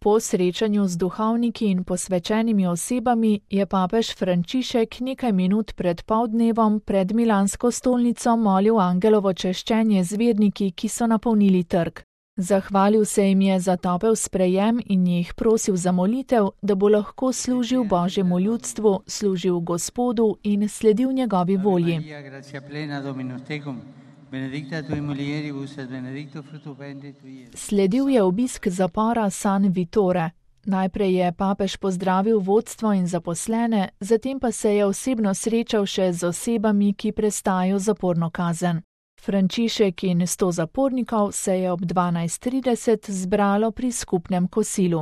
Po srečanju z duhovniki in posvečenimi osebami je papež Frančišek nekaj minut pred poldnevom pred milansko stolnico molil angelovo češčenje z verniki, ki so napolnili trg. Zahvalil se jim je za topel sprejem in jih prosil za molitev, da bo lahko služil Božjemu ljudstvu, služil Gospodu in sledil njegovi volji. Sledil je obisk zapora San Vittore. Najprej je papež pozdravil vodstvo in zaposlene, zatem pa se je osebno srečal še z osebami, ki prestajajo zaporno kazen. Frančišek in 100 zapornikov se je ob 12:30 zbralo pri skupnem kosilu.